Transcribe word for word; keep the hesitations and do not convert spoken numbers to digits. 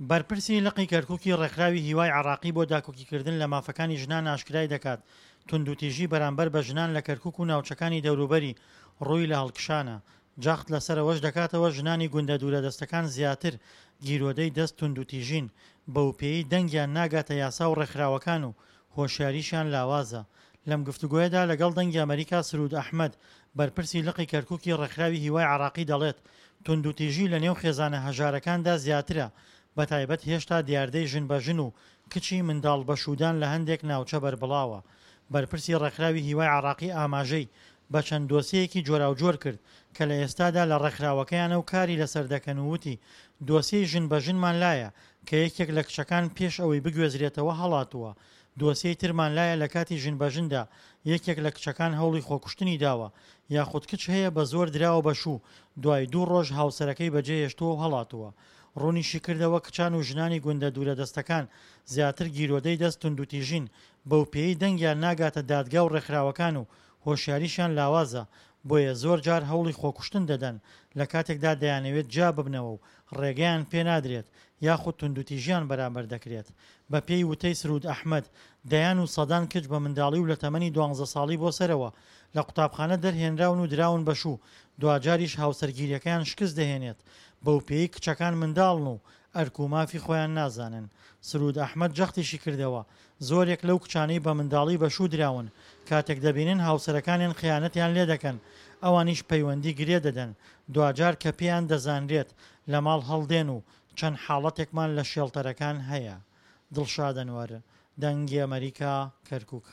بەرپرسی لقی کەرکوکی ڕێکخراوی هیوای عێراقی بۆ داکۆکیکردن لە مافەکانی ژنان ئاشکرای دەکات، توندوتیژی بەرامبەر بە ژنان لە کەرکوک و ناوچەکانی دەوروبەری ڕووی لە هەڵکشانە. جەخت لەسەر ئەوەش دەکاتەوە ژنانی گوندە دوورەدەستەکان زیاتر گیرۆدەی دەست توندوتیژین، بەوپێیەی دەنگیان ناگاتە یاسا و ڕێکخراوەکان و هۆشیاریشیان لاوازە. لەم گفتوگۆیەدا لەگەڵ دەنگی ئەمەریکا سرود ئەحمەد، بەرپرسی لقی کەرکوکی ڕێکخراوی هیوای عێراقی دەڵێت توندوتیژی لەنێو خێزانە هەژارەکاندا زیاترە، بەتایبەت هێشتا دیاردەی ژن بە ژن و کچی منداڵ بەشوودان لە هەندێک ناوچە بەربڵاوە. بەرپرسی ڕێکخراوی هیوای عێراقی ئاماژەی بە چەند دۆسیەیەکی جۆراوجۆر کرد کە لە ئێستادا لە ڕێکخراوەکەیانە و کاری لەسەر دەکەن و وتی دۆسیەی ژن بە ژنمان لایە کە یەکێک لە کچەکان پێش ئەوەی بگوێزرێتەوە هەڵاتووە، دۆسیەی ترمان لایە لە کاتی ژن بە ژندا یەکێک لە کچەکان هەوڵی خۆکوشتنی داوە، یاخود کچ هەیە بە زۆر دراوە بە شوو دوای دوو ڕۆژ هاوسەرەکەی بەجێهێشتووە و هەڵاتووە. ڕوونیشیکردەوە کچان و ژنانی گوندە دوورەدەستەکان زیاتر گیرۆدەی دەست توندوتیژین، بەوپێیەی دەنگیان ناگاتە دادگا و ڕێکخراوەکان و هۆشیاریشیان لاوازە، بۆیە زۆر جار هەوڵی خۆکوشتن دەدەن لە کاتێکدا دەیانەوێت جیاببنەوە و ڕێگەیان پێنادرێت یاخود توندوتیژیان بەرامبەر دەکرێت. بەپێی وتەی سرود ئەحمەد، دەیان و سەدان کچ بە منداڵی و لە تەمەنی دوانزە ساڵی بۆ سەرەوە لە قوتابخانە دەرهێنراون و دراون بە شوو، دواجاریش هاوسەرگیرییەکەیان شکست دەهێنێت، بەوپێیەی کچەکان منداڵن و ئەرک و مافی خۆیان نازانن. سرود ئەحمەد جەختیشی کردەوە، زۆرێک لەو کچانەی بە منداڵی بە شوو دراون، کاتێک دەبینن هاوسەرەکانیان خیانەتیان لێدەکەن، ئەوانیش پەیوەندی گرێ دەدەن، دواجار کە پێیان دەزانرێت لە ماڵ هەڵدێن و چەند حاڵەتێکمان لە شێڵتەرەکان هەیە. دڵشاد ئەنوەر، دەنگی ئەمەریکا، کەرکوک.